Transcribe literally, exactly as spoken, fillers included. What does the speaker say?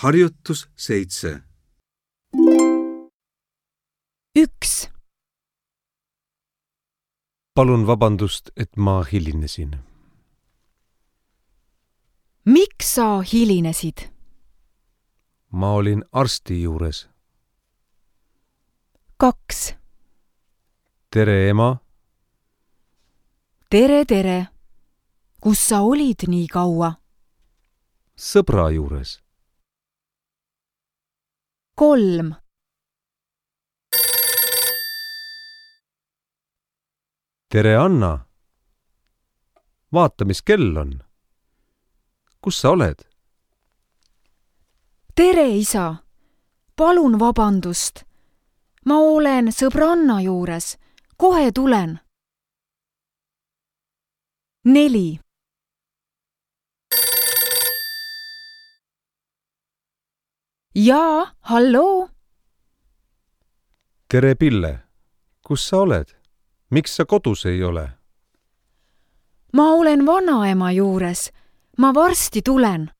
Harjutus seitse. Üks. Palun vabandust, et ma hilinesin. Miks sa hilinesid? Ma olin arsti juures. Kaks. Tere, ema. Tere, tere. Kus sa olid nii kaua? Sõbra juures. Kolm. Tere, Anna. Vaata, mis kell on. Kus sa oled? Tere, isa. Palun vabandust. Ma olen sõbranna juures. Kohe tulen. Neli. Jaa, halloo. Tere, Pille. Kus sa oled? Miks sa kodus ei ole? Ma olen vanaema juures. Ma varsti tulen.